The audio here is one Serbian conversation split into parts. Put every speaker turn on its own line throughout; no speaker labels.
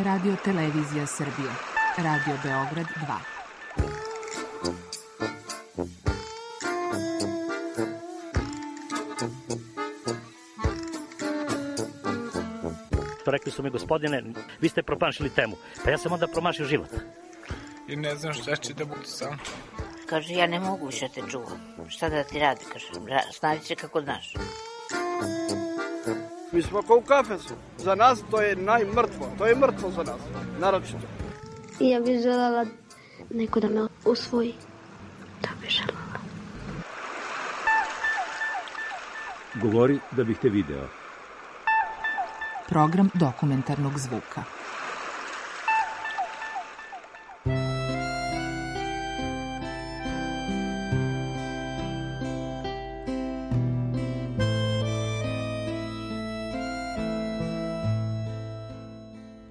Radio Televizija Srbije. Radio Beograd 2.
Rekli su mi, gospodine, vi ste promašili temu. Pa ja sam onda promašio život.
I ne znam šta će da bude sam.
Kaže, ja ne mogu više te čuvam. Šta da ti radi, kaže, snađi se kako znaš.
Mi smo kao u kafesu. Za nas to je najmrtvo. To je mrtvo za nas, naročito.
Ja bih želela neko da me usvoji. Da bih želela.
Govori da bih te video.
Program dokumentarnog zvuka.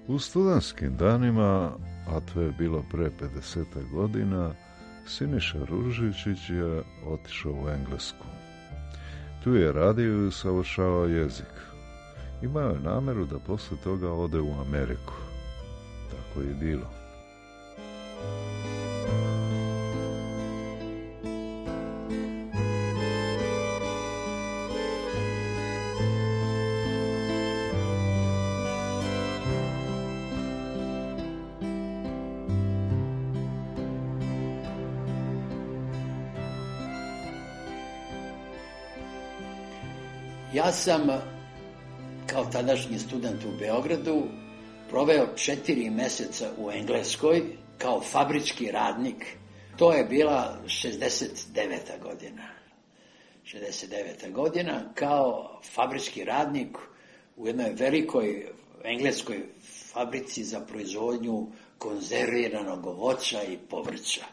U studentskim danima, a to je bilo pre 50 godina, Siniša Ružičić je otišao u Englesku. Tu je radio i usavršavao jezik. Imao je nameru da posle toga ode u Ameriku. Tako je bilo.
Ja sam, kao tadašnji student u Beogradu, proveo 4 meseca u Engleskoj kao fabrički radnik. To je bila 69. godina. 69. godina kao fabrički radnik u jednoj velikoj engleskoj fabrici za proizvodnju konzerviranog voća i povrća.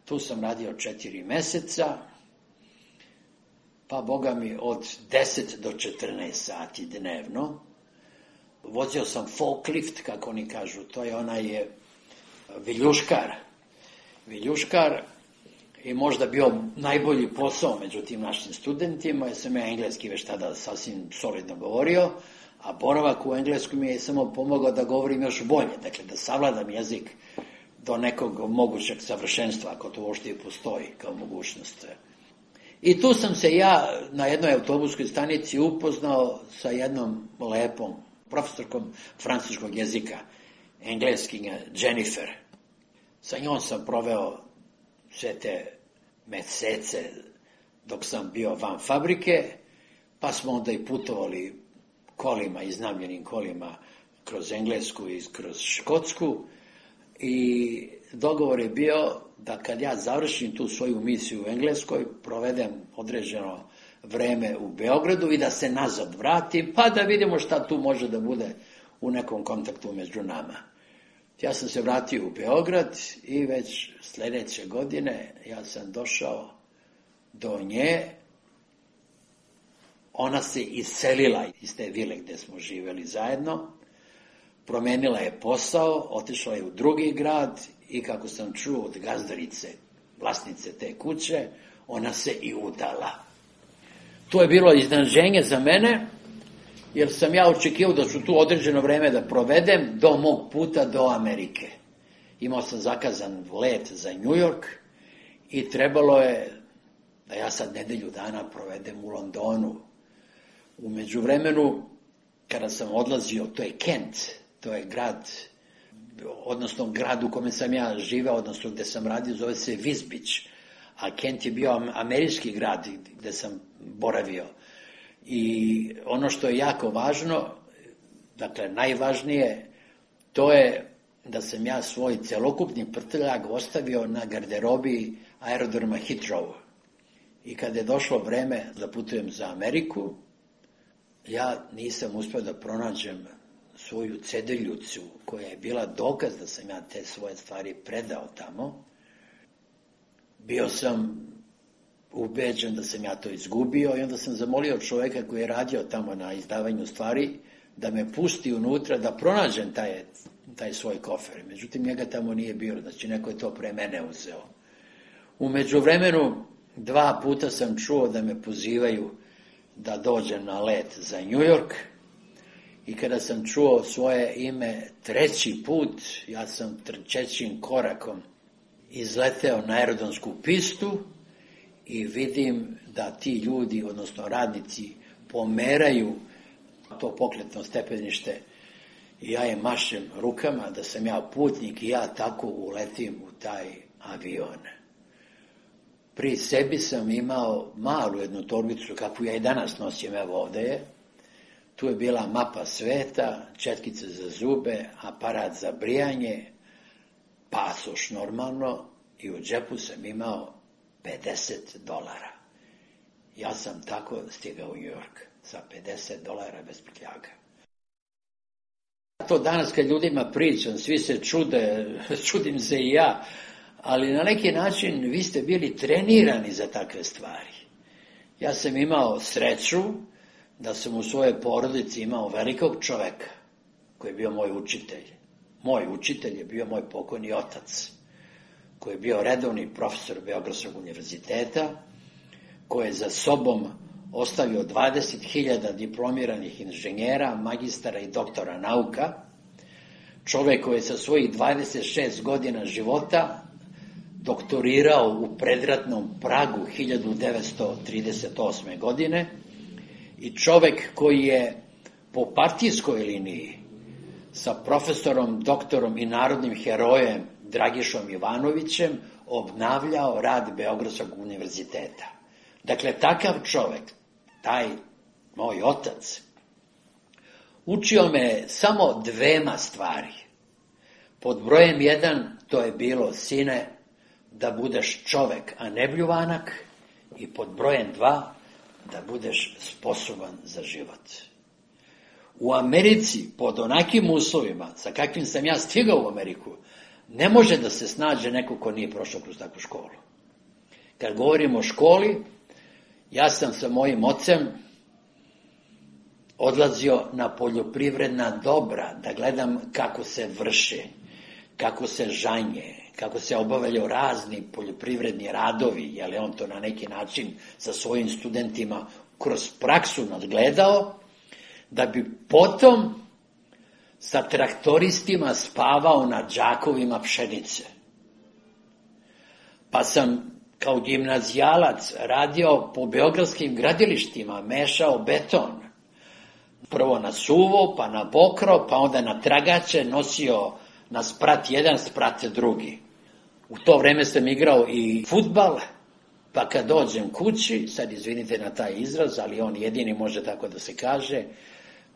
Tu sam radio 4 meseca. Pa, boga mi, od 10 do 14 sati dnevno. Vozio sam forklift, kako oni kažu, to je onaj viljuškar. Viljuškar je možda bio najbolji posao među tim našim studentima, jer sam ja engleski već tada sasvim solidno govorio, a boravak u engleskom mi je samo pomogao da govorim još bolje, dakle da savladam jezik do nekog mogućeg savršenstva, ako to uopšte i postoji kao mogućnost. I tu sam se ja na jednoj autobuskoj stanici upoznao sa jednom lepom profesorkom francuskog jezika, engleskinja Jennifer. Sa njom sam proveo sve te mesece dok sam bio van fabrike, pa smo onda i putovali kolima, iznajmljenim kolima kroz Englesku i kroz Škotsku i dogovor je bio da kad ja završim tu svoju misiju u Engleskoj, provedem određeno vreme u Beogradu i da se nazad vratim, pa da vidimo šta tu može da bude u nekom kontaktu među nama. Ja sam se vratio u Beograd i već sljedeće godine ja sam došao do nje. Ona se iselila iz te vile gdje smo živjeli zajedno, promenila je posao, otišla je u drugi grad i kako sam čuo od gazdarice, vlasnice te kuće, ona se i udala. To je bilo iznenađenje za mene, jer sam ja očekivao da ću tu određeno vreme da provedem do mog puta do Amerike. Imao sam zakazan let za New York i trebalo je da ja sad nedelju dana provedem u Londonu. U međuvremenu, kada sam odlazio, to je Kent, to je grad, odnosno grad u kome sam ja živeo, odnosno gde sam radio, zove se Wisbech, a Kent je bio američki grad gde sam boravio. I ono što je jako važno, dakle najvažnije, to je da sam ja svoj celokupni prtljag ostavio na garderobi aerodroma Heathrow. I kada je došlo vreme da putujem za Ameriku, ja nisam uspio da pronađem svoju cedeljucu koja je bila dokaz da sam ja te svoje stvari predao tamo. Bio sam ubeđen da sam ja to izgubio i onda sam zamolio čovjeka koji je radio tamo na izdavanju stvari da me pusti unutra da pronađem taj svoj kofer. Međutim, njega tamo nije bilo, znači neko je to pre mene uzeo. U međuvremenu 2 puta sam čuo da me pozivaju da dođem na let za New York i kada sam čuo svoje ime 3. put, ja sam trčećim korakom izleteo na aerodromsku pistu i vidim da ti ljudi, odnosno radnici, pomeraju to pokretno stepenište i ja im mašem rukama da sam ja putnik i ja tako uletim u taj avion. Pri sebi sam imao malu jednu torbicu, kakvu ja i danas nosim, evo ovde je. Tu je bila mapa sveta, četkice za zube, aparat za brijanje, pasoš normalno i u džepu sam imao $50. Ja sam tako stigao u New York sa $50 bez prtljaga. To danas kad ljudima pričam, svi se čude, čudim se i ja, ali na neki način vi ste bili trenirani za takve stvari. Ja sam imao sreću da sam u svojoj porodici imao velikog čoveka koji je bio moj učitelj. Moj učitelj je bio moj pokojni otac, koji je bio redovni profesor Beogradskog univerziteta, koji je za sobom ostavio 20.000 diplomiranih inženjera, magistara i doktora nauka, čovek koji je sa svojih 26 godina života doktorirao u predratnom Pragu 1938. godine i čovek koji je po partijskoj liniji sa profesorom, doktorom i narodnim herojem Dragišom Ivanovićem obnavljao rad Beogradskog univerziteta. Dakle, takav čovek, taj moj otac, učio me samo 2 stvari. Pod brojem 1 to je bilo, sine, da budeš čovek, a ne bljuvanak, i pod brojem 2 da budeš sposoban za život. U Americi, pod onakim uslovima, sa kakvim sam ja stigao u Ameriku, ne može da se snađe neko ko nije prošao kroz takvu školu. Kad govorimo o školi, ja sam sa mojim ocem odlazio na poljoprivredna dobra, da gledam kako se vrše, kako se žanje, kako se obavljaju razni poljoprivredni radovi, jer je on to na neki način sa svojim studentima kroz praksu nadgledao, da bi potom sa traktoristima spavao na džakovima pšenice. Pa sam kao gimnazijalac radio po beogradskim gradilištima, mešao beton. Prvo na suvo, pa na pokro, pa onda na tragače, nosio na sprat 1, sprat 2. U to vreme sam igrao i fudbal, pa kad dođem kući, sad izvinite na taj izraz, ali on jedini može tako da se kaže,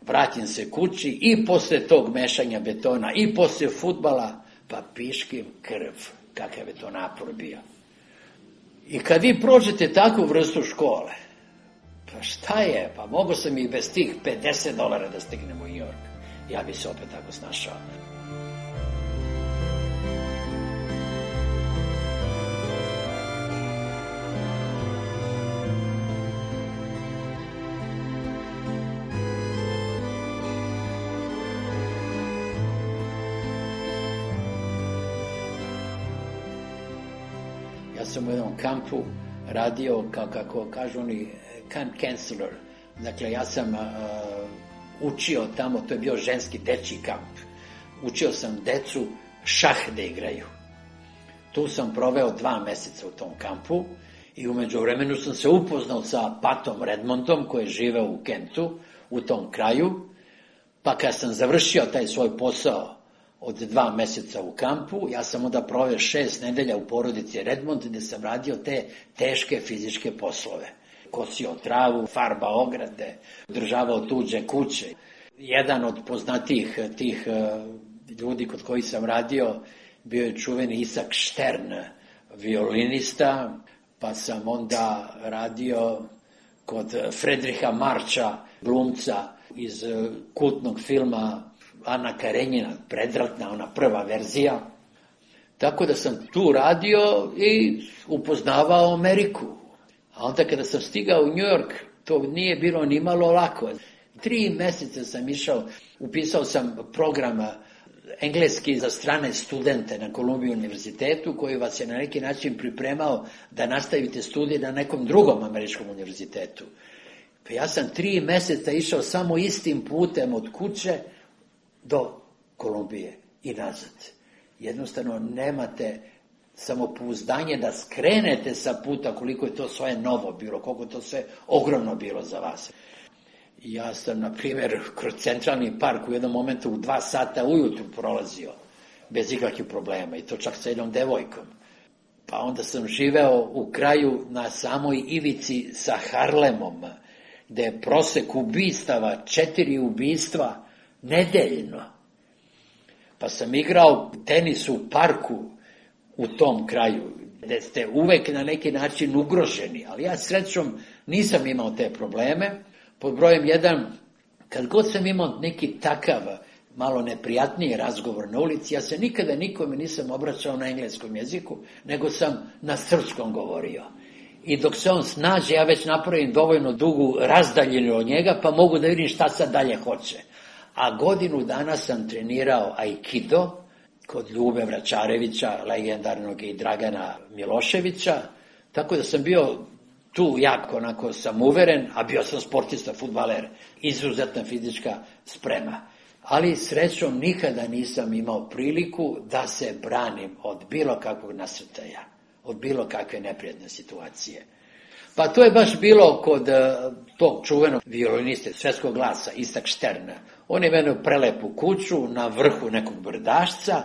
vratim se kući i posle tog mešanja betona i posle fudbala, pa piškim krv, kakav je to napor bio. I kad vi prođete takvu vrstu škole, pa šta je, pa mogo sam i bez tih $50 da stignem u New York. Ja bi se opet tako snašao. Ja sam u jednom kampu radio, kako kažu oni, camp counselor. Dakle, ja sam učio tamo, to je bio ženski dečji kamp. Učio sam decu šah da igraju. Tu sam proveo 2 meseca u tom kampu i u međuvremenu sam se upoznao sa Patom Redmondom, koji je živeo u Kentu, u tom kraju. Pa kad sam završio taj svoj posao od 2 meseca u kampu, ja sam onda proveo 6 nedelja u porodici Redmond, gde sam radio te teške fizičke poslove. Kosio travu, farbao ograde, održavao tuđe kuće. Jedan od poznatijih tih ljudi kod kojih sam radio bio je čuveni Isak Štern, violinista, pa sam onda radio kod Fredriha Marča, glumca iz kultnog filma Ana Karenjina, predratna, ona prva verzija. Tako da sam tu radio i upoznavao Ameriku. A onda kada sam stigao u New York, to nije bilo ni malo lako. 3 meseca sam išao, upisao sam program engleski za strane studente na Columbia univerzitetu, koji vas je na neki način pripremao da nastavite studije na nekom drugom američkom univerzitetu. Pa ja sam 3 meseca išao samo istim putem od kuće do Kolumbije i nazad. Jednostavno nemate samopouzdanje da skrenete sa puta koliko je to sve novo bilo, koliko je to sve ogromno bilo za vas. Ja sam, na primjer, kroz Centralni park u jednom momentu u 2 sata ujutru prolazio, bez ikakvih problema, i to čak sa jednom devojkom. Pa onda sam živeo u kraju na samoj ivici sa Harlemom, gde je prosek ubistava 4 ubistva nedeljno. Pa sam igrao tenis u parku u tom kraju, gde ste uvek na neki način ugroženi, ali ja srećom nisam imao te probleme. Pod brojem 1, kad god sam imao neki takav malo neprijatniji razgovor na ulici, ja se nikada nikome nisam obraćao na engleskom jeziku, nego sam na srpskom govorio. I dok se on snađe, ja već napravim dovoljno dugu razdaljinu od njega, pa mogu da vidim šta sad dalje hoće. A godinu dana sam trenirao aikido kod Ljube Vračarevića, legendarnog, i Dragana Miloševića, tako da sam bio tu jako onako samuveren, a bio sam sportista, fudbaler, izuzetna fizička sprema. Ali srećom nikada nisam imao priliku da se branim od bilo kakvog nasrtaja, od bilo kakve neprijatne situacije. Pa to je baš bilo kod tog čuvenog violiniste Svetskog glasa, Isaac Stern. On je imao prelepu kuću na vrhu nekog brdašca,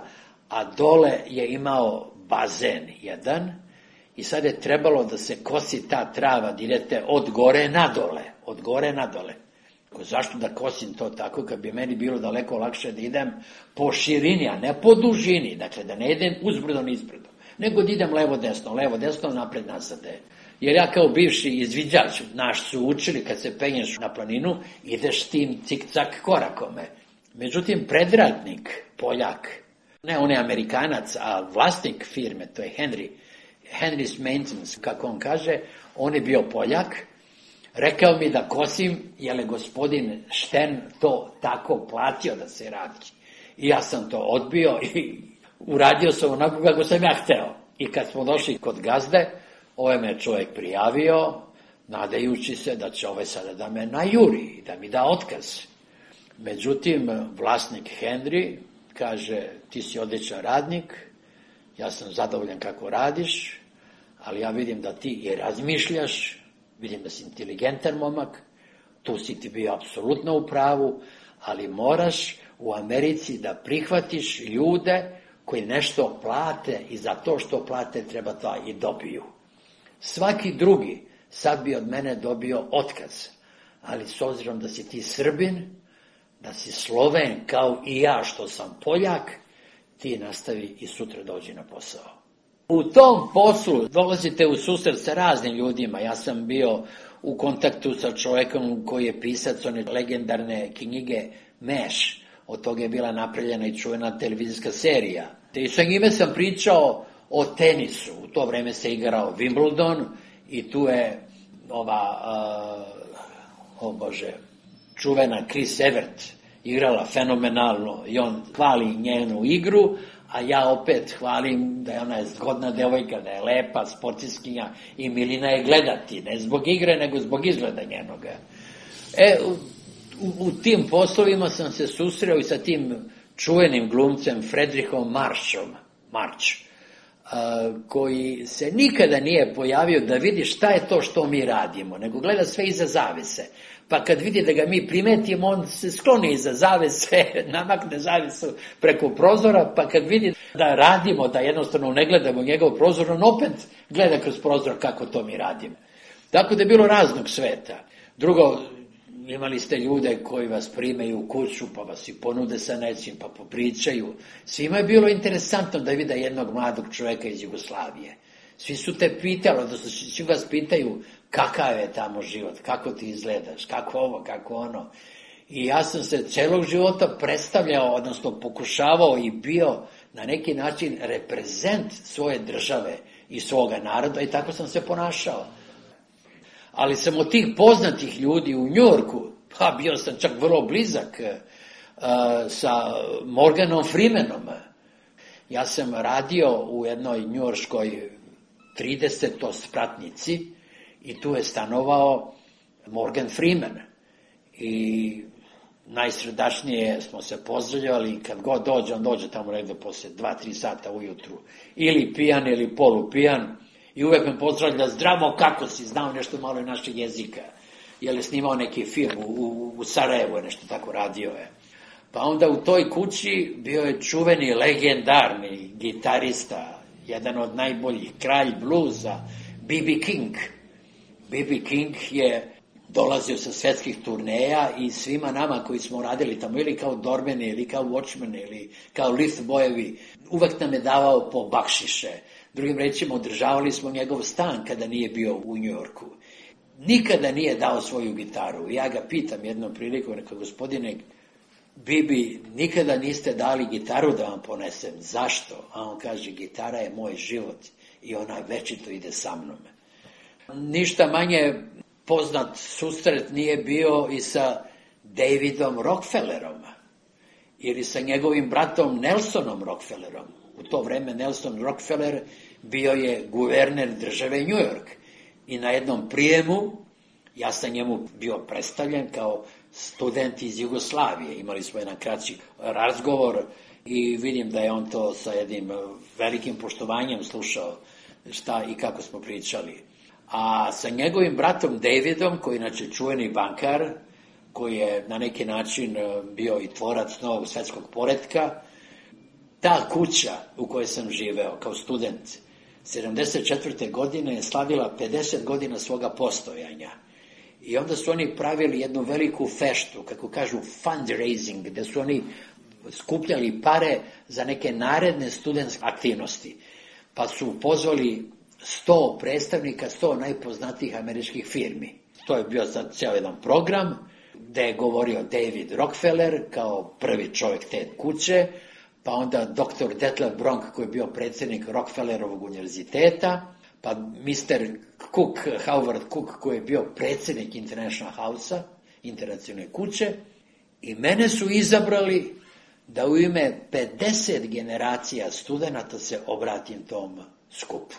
a dole je imao bazen jedan, i sad je trebalo da se kosi ta trava, da idete od gore na dole. Zašto da kosim to tako, kad bi meni bilo daleko lakše da idem po širini, a ne po dužini, dakle da ne idem uzbrdo nizbrdo, nego da idem levo desno, napred nazad. Jer ja kao bivši izviđač, naš su učili, kad se penješ na planinu, ideš tim cik-cak korakome. Međutim, predratnik, Poljak, ne on je Amerikanac, a vlasnik firme, to je Henry's Maintenance, kako on kaže, on je bio Poljak, rekao mi da kosim, jer je gospodin Štern to tako platio da se radi. I ja sam to odbio i uradio sam onako kako sam ja hteo. I kad smo došli kod gazde, me čovjek prijavio, nadajući se da će sada da me najuri i da mi da otkaz. Međutim, vlasnik Henry kaže, ti si odličan radnik, ja sam zadovoljan kako radiš, ali ja vidim da ti i razmišljaš, vidim da si inteligentan momak, tu si ti bio apsolutno u pravu, ali moraš u Americi da prihvatiš ljude koji nešto plate i za to što plate treba to i dobiju. Svaki drugi sad bi od mene dobio otkaz, ali s obzirom da si ti Srbin, da si Sloven kao i ja što sam Poljak, ti nastavi i sutra dođi na posao. U tom poslu dolazite u susret sa raznim ljudima. Ja sam bio u kontaktu sa čovjekom koji je pisac one legendarne knjige Meš. Od toga je bila napravljena i čuvena televizijska serija. I sa njime sam pričao o tenisu. U to vreme se igrao Wimbledon i tu je čuvena Chris Evert igrala fenomenalno i on hvali njenu igru, a ja opet hvalim da je ona zgodna devojka, da je lepa, sportiskinja i milina je gledati, ne zbog igre, nego zbog izgleda njenoga. U tim poslovima sam se susreo i sa tim čuvenim glumcem Friedrichom March, koji se nikada nije pojavio da vidi šta je to što mi radimo, nego gleda sve iza zavese. Pa kad vidi da ga mi primetimo, on se skloni iza zavese, namakne zavesu preko prozora, pa kad vidi da radimo, da jednostavno ne gledamo njegov prozor, on opet gleda kroz prozor kako to mi radimo. Tako da je bilo raznog sveta. Drugo, imali ste ljude koji vas primaju u kuću, pa vas i ponude sa nečim, pa popričaju. Svima je bilo interesantno da vide jednog mladog čovjeka iz Jugoslavije. Svi su te pitali, odnosno svi vas pitaju kakav je tamo život, kako ti izgledaš, kako ovo, kako ono. I ja sam se celog života predstavljao, odnosno pokušavao i bio na neki način reprezent svoje države i svoga naroda i tako sam se ponašao. Ali sam od tih poznatih ljudi u Njujorku, pa bio sam čak vrlo blizak sa Morganom Freemanom. Ja sam radio u jednoj njujorškoj 30-spratnici i tu je stanovao Morgan Freeman. I najsredašnije smo se pozdravljali, kad god dođe, on dođe tamo negde posle 2-3 sata ujutru, ili pijan ili polupijan, i uvek me pozdravlja, zdravo, kako si, znao nešto malo i našeg jezika, jer je snimao neki film u Sarajevu, je nešto tako radio je. Pa onda u toj kući bio je čuveni, legendarni gitarista, jedan od najboljih, kralj bluza, B.B. King. B.B. King je dolazio sa svetskih turneja i svima nama koji smo radili tamo, ili kao dormeni, ili kao watchmeni, ili kao lift bojevi, uvek nam je davao po bakšiše. Drugim rečima, održavali smo njegov stan kada nije bio u Njujorku. Nikada nije dao svoju gitaru. Ja ga pitam jednom prilikom, rekao, gospodine Bibi, nikada niste dali gitaru da vam ponesem. Zašto? A on kaže, gitara je moj život i ona večito ide sa mnom. Ništa manje poznat susret nije bio i sa Davidom Rockefellerom ili sa njegovim bratom Nelsonom Rockefellerom. U to vreme Nelson Rockefeller bio je guverner države New York i na jednom prijemu ja sam njemu bio predstavljen kao student iz Jugoslavije. Imali smo jedan kraći razgovor i vidim da je on to sa jednim velikim poštovanjem slušao šta i kako smo pričali. A sa njegovim bratom Davidom, koji je inače čuveni bankar, koji je na neki način bio i tvorac novog svetskog poretka, ta kuća u kojoj sam živeo kao student 74. godine je slavila 50 godina svoga postojanja. I onda su oni pravili jednu veliku feštu, kako kažu fundraising, gde su oni skupljali pare za neke naredne studentske aktivnosti. Pa su pozvali 100 predstavnika, 100 najpoznatijih američkih firmi. To je bio sad cijel jedan program gde je govorio David Rockefeller kao prvi čovjek te kuće, pa onda dr. Detlef Bronk koji je bio predsjednik Rockefellerovog univerziteta, pa Mr. Cook, Howard Cook koji je bio predsjednik International House-a, internacionalne kuće, i mene su izabrali da u ime 50 generacija studenta se obratim tom skupu.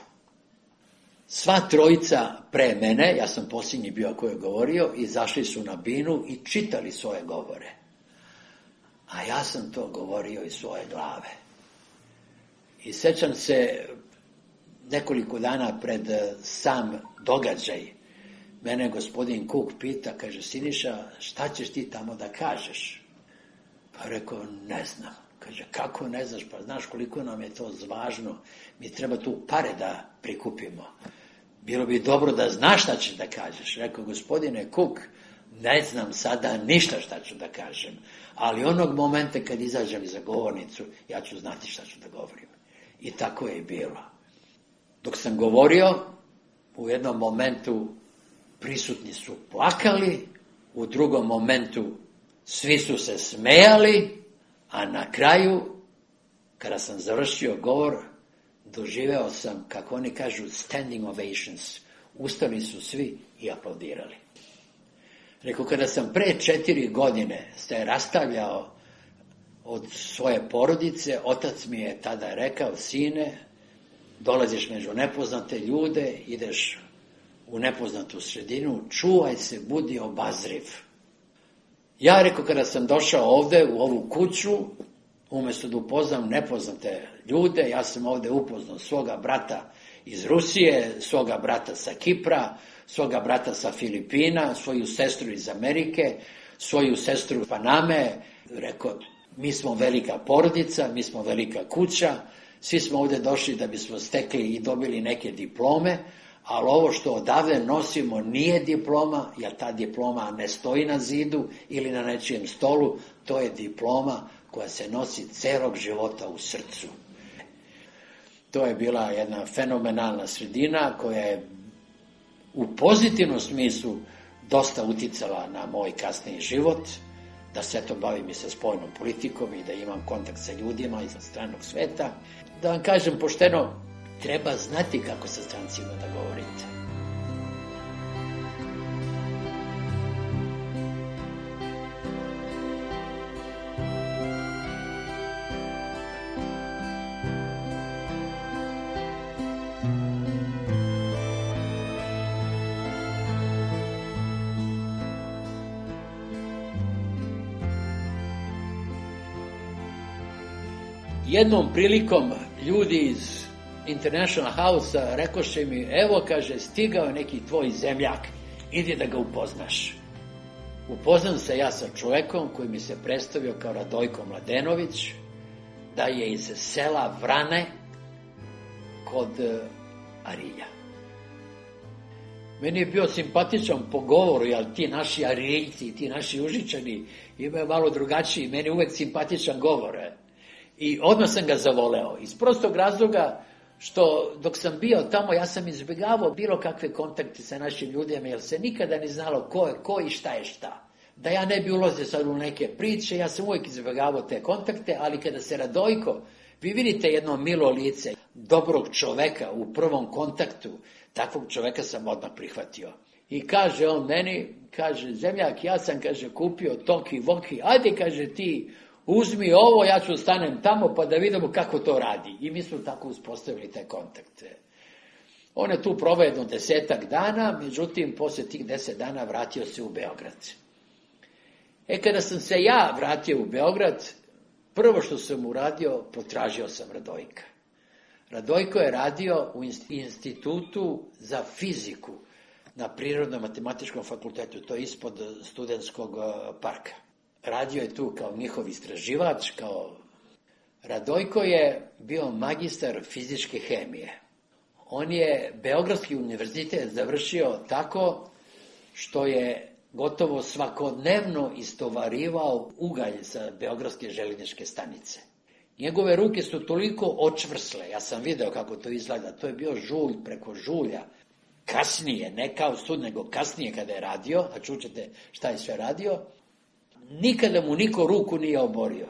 Sva trojica pre mene, ja sam posljednji bio koji je govorio, izašli su na binu i čitali svoje govore. A ja sam to govorio iz svoje glave. I sećam se, nekoliko dana pred sam događaj, mene gospodin Cook pita, kaže, Siniša, šta ćeš ti tamo da kažeš? Pa rekao, ne znam. Kaže, kako ne znaš, pa znaš koliko nam je to važno, mi treba tu pare da prikupimo. Bilo bi dobro da znaš šta ćeš da kažeš. Rekao, gospodine Cook, ne znam sada ništa šta ću da kažem, ali onog momenta kad izađem za govornicu, ja ću znati šta ću da govorim. I tako je i bilo. Dok sam govorio, u jednom momentu prisutni su plakali, u drugom momentu svi su se smejali, a na kraju, kada sam završio govor, doživeo sam, kako oni kažu, standing ovations. Ustali su svi i aplaudirali. Rekao, kada sam pre 4 godine se rastavljao od svoje porodice, otac mi je tada rekao, sine, dolaziš među nepoznate ljude, ideš u nepoznatu sredinu, čuvaj se, budi obazriv. Ja, rekao, kada sam došao ovde u ovu kuću, umjesto da upoznam nepoznate ljude, ja sam ovde upoznao svoga brata iz Rusije, svoga brata sa Kipra, svoga brata sa Filipina, svoju sestru iz Amerike, svoju sestru iz Paname. Rekao, mi smo velika porodica, mi smo velika kuća, svi smo ovde došli da bismo stekli i dobili neke diplome, ali ovo što odavde nosimo nije diploma, jer ta diploma ne stoji na zidu ili na nečijem stolu, to je diploma koja se nosi celog života u srcu. To je bila jedna fenomenalna sredina koja je u pozitivnom smislu dosta uticala na moj kasniji život, da se to bavim i sa spoljnom politikom i da imam kontakt sa ljudima iz stranog sveta. Da vam kažem pošteno, treba znati kako sa strancima da govorite. Jednom prilikom ljudi iz International House-a rekoše mi, evo, kaže, stigao je neki tvoj zemljak, idi da ga upoznaš. Upoznam se ja sa čovekom koji mi se predstavio kao Radojko Mladenović, da je iz sela Vrane kod Arilja. Meni je bio simpatičan po govoru, jer ti naši Ariljci, ti naši Užičani imaju malo drugačiji, meni je uvek simpatičan govor. I odmah sam ga zavoleo. Iz prostog razloga što dok sam bio tamo, ja sam izbjegavao bilo kakve kontakte sa našim ljudima, jer se nikada ni znalo ko je ko i šta je šta. Da ja ne bi ulazio sad u neke priče, ja sam uvijek izbjegavao te kontakte, ali kada se Radojko, vi vidite jedno milo lice, dobrog čoveka u prvom kontaktu, takvog čoveka sam odmah prihvatio. I kaže on meni, kaže, zemljak, ja sam, kaže, kupio toki, voki, ajde, kaže, ti uzmi ovo, ja ću stanem tamo pa da vidimo kako to radi. I mi smo tako uspostavili te kontakte. On je tu proveo jedno 10 dana, međutim, poslije tih 10 dana vratio se u Beograd. Kada sam se ja vratio u Beograd, prvo što sam uradio, potražio sam Radojka. Radojko je radio u institutu za fiziku na Prirodno-matematičkom fakultetu, to je ispod Studentskog parka. Radio je tu kao njihov istraživač, Radojko je bio magistar fizičke hemije. On je Beogradski univerzitet završio tako što je gotovo svakodnevno istovarivao ugalj sa Beogradske željezničke stanice. Njegove ruke su toliko očvrsle, ja sam video kako to izgleda, to je bio žulj preko žulja. Kasnije, ne kao sud, nego kasnije kada je radio, a čućete šta je sve radio, nikada mu niko ruku nije oborio.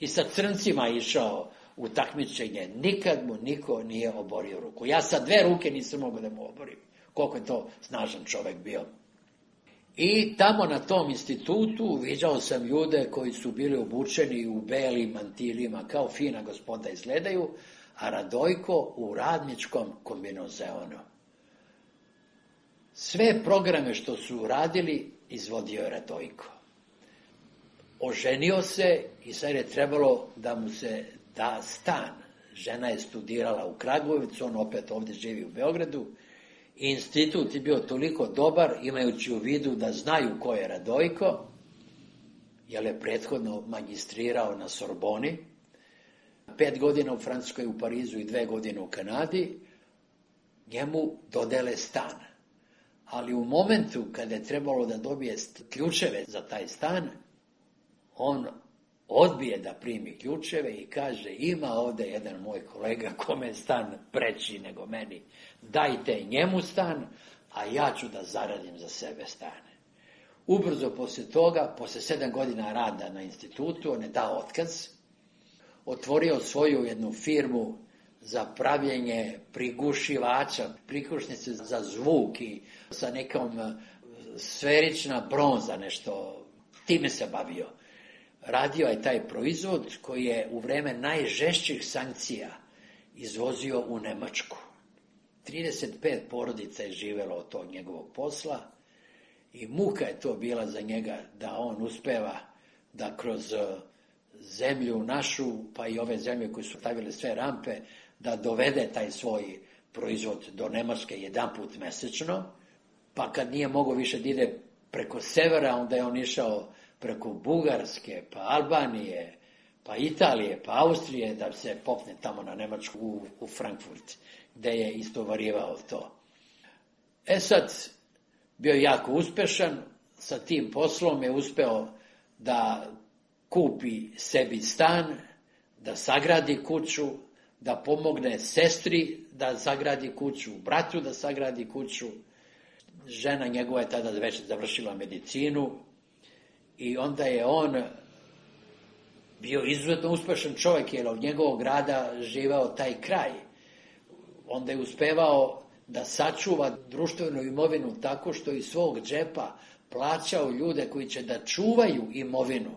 I sa crncima išao u takmičenje, nikad mu niko nije oborio ruku. Ja sa 2 ruke nisam mogao da mu oborim, koliko je to snažan čovek bio. I tamo na tom institutu viđao sam ljude koji su bili obučeni u belim mantilima, kao fina gospoda izgledaju, a Radojko u radničkom kombinezoonu. Sve programe što su radili izvodio je Radojko. Oženio se i sad je trebalo da mu se da stan. Žena je studirala u Kragujevcu, on opet ovdje živi u Beogradu. Institut je bio toliko dobar, imajući u vidu da znaju ko je Radojko, jer je prethodno magistrirao na Sorboni, 5 godina u Francuskoj, u Parizu i 2 godine u Kanadi, njemu dodele stan. Ali u momentu kada je trebalo da dobije ključeve za taj stan, on odbije da primi ključeve i kaže, ima ovdje jedan moj kolega kome je stan preći nego meni, dajte njemu stan, a ja ću da zaradim za sebe stan. Ubrzo poslije toga, poslije 7 godina rada na institutu, on je dao otkaz, otvorio svoju jednu firmu za pravljenje prigušivača, prigušnice za zvuk i sa nekom sferična bronza, nešto, time se bavio. Radio je taj proizvod koji je u vreme najžešćih sankcija izvozio u Nemačku. 35 porodica je živelo od tog njegovog posla i muka je to bila za njega da on uspeva da kroz zemlju našu, pa i ove zemlje koje su stavile sve rampe, da dovede taj svoj proizvod do Nemačke 1 put mesečno, pa kad nije mogao više da ide preko severa, onda je on išao preko Bugarske, pa Albanije, pa Italije, pa Austrije, da se popne tamo na Nemačku u Frankfurt, gde je istovarivao to. Sad, bio je jako uspešan, sa tim poslom je uspeo da kupi sebi stan, da sagradi kuću, da pomogne sestri da sagradi kuću, bratu da sagradi kuću. Žena njegova je tada već završila medicinu i onda je on bio izuzetno uspešan čovjek, jer od njegovog grada živao taj kraj. Onda je uspevao da sačuva društvenu imovinu tako što iz svog džepa plaćao ljude koji će da čuvaju imovinu,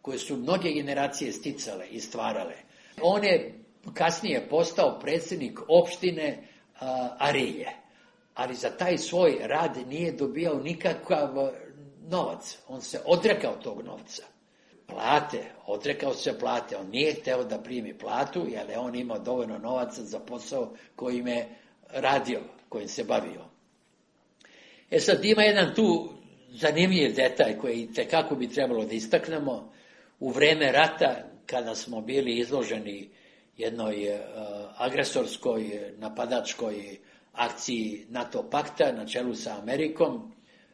koje su mnoge generacije sticale i stvarale. On je kasnije postao predsjednik opštine Arilje, ali za taj svoj rad nije dobijao nikakav novac. On se odrekao tog novca. plate, odrekao se plate, on nije hteo da primi platu, jer je on imao dovoljno novaca za posao kojim je radio, kojim se bavio. Sad ima jedan tu zanimljiv detalj koji tekako bi trebalo da istaknemo. U vreme rata, kada smo bili izloženi jednoj agresorskoj, napadačkoj akciji NATO pakta na čelu sa Amerikom,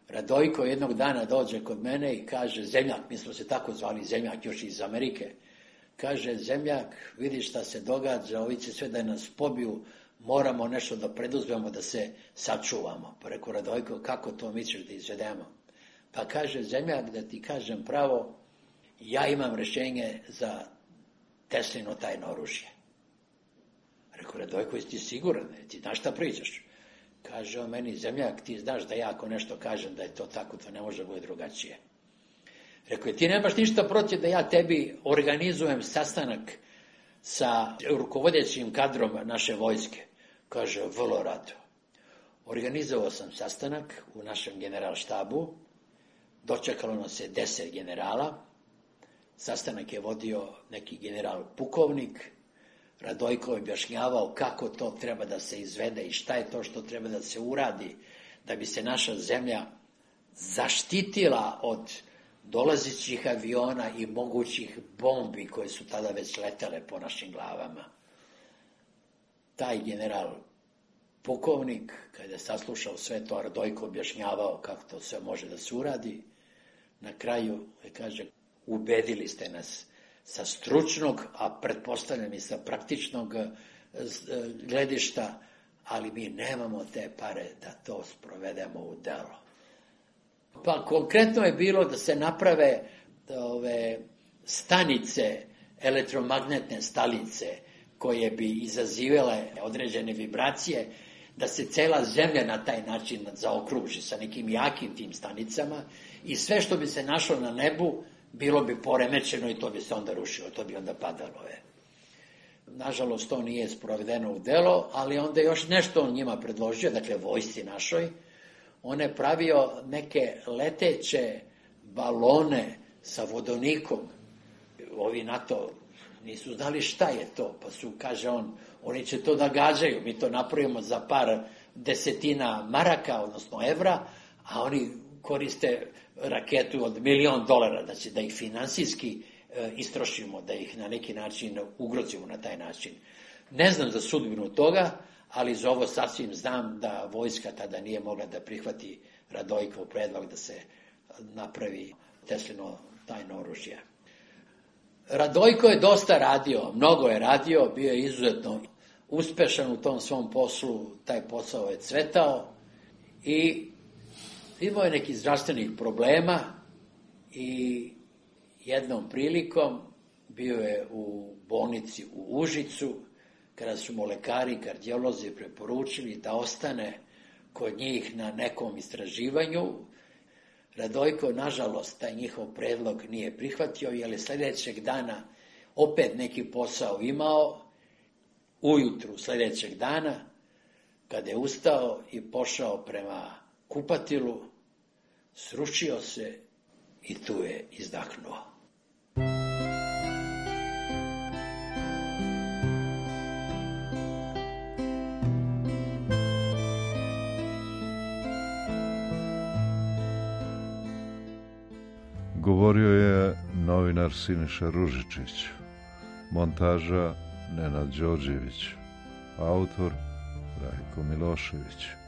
Radojko jednog dana dođe kod mene i kaže, Zemljak, mi smo se tako zvali, Zemljak još iz Amerike, kaže, Zemljak, vidi šta se događa, ovi će sve da nas pobiju, moramo nešto da preduzmemo da se sačuvamo. Pa rekao, Radojko, kako to misliš da izvedemo? Pa kaže, Zemljak, da ti kažem pravo, ja imam rješenje za Teslino tajno oružje. Rekao, Radojko, jesi ti siguran? Ti znaš šta pričaš? Kaže on meni, Zemljak, ti znaš da ja ako nešto kažem da je to tako, to ne može biti drugačije. Rekao, ti nemaš ništa protiv da ja tebi organizujem sastanak sa rukovodećim kadrom naše vojske? Kaže, vrlo rado. Organizovao sam sastanak u našem generalštabu, dočekalo nas je 10 generala, sastanak je vodio neki general pukovnik, Radojko je objašnjavao kako to treba da se izvede i šta je to što treba da se uradi da bi se naša zemlja zaštitila od dolazećih aviona i mogućih bombi koje su tada već letele po našim glavama. Taj general pukovnik, kada je saslušao sve to, Radojko objašnjavao kako to sve može da se uradi, na kraju je kaže, ubedili ste nas sa stručnog, a pretpostavljam i sa praktičnog gledišta, ali mi nemamo te pare da to sprovedemo u delo. Pa konkretno je bilo da se naprave ove stanice, elektromagnetne stanice, koje bi izazivale određene vibracije, da se cela zemlja na taj način zaokruži sa nekim jakim tim stanicama i sve što bi se našlo na nebu bilo bi poremećeno i to bi se onda rušilo, to bi onda padalo. Nažalost, to nije sprovedeno u delo, ali onda još nešto on njima predložio, dakle vojsci našoj. On je pravio neke leteće balone sa vodonikom. Ovi NATO nisu znali šta je to, pa su, kaže on, oni će to da gađaju, mi to napravimo za par desetina maraka, odnosno evra, a oni koriste raketu od $1.000.000, znači da ih finansijski istrošimo, da ih na neki način ugrozimo na taj način. Ne znam za sudbinu toga, ali za ovo sasvim znam da vojska tada nije mogla da prihvati Radojkov predlog da se napravi Teslino tajno oružje. Radojko je dosta radio, mnogo je radio, bio je izuzetno uspešan u tom svom poslu, taj posao je cvetao i imao je nekih zdravstvenih problema i jednom prilikom bio je u bolnici u Užicu, kada su mu lekari i kardiolozi preporučili da ostane kod njih na nekom istraživanju. Radojko, nažalost, taj njihov predlog nije prihvatio, jer je sljedećeg dana opet neki posao imao. Ujutru sljedećeg dana, kada je ustao i pošao prema kupatilu, srušio se i tu je izdahnuo.
Govorio je novinar Siniša Ružičić, montaža Nenad Đorđević, autor Rajko Milošević.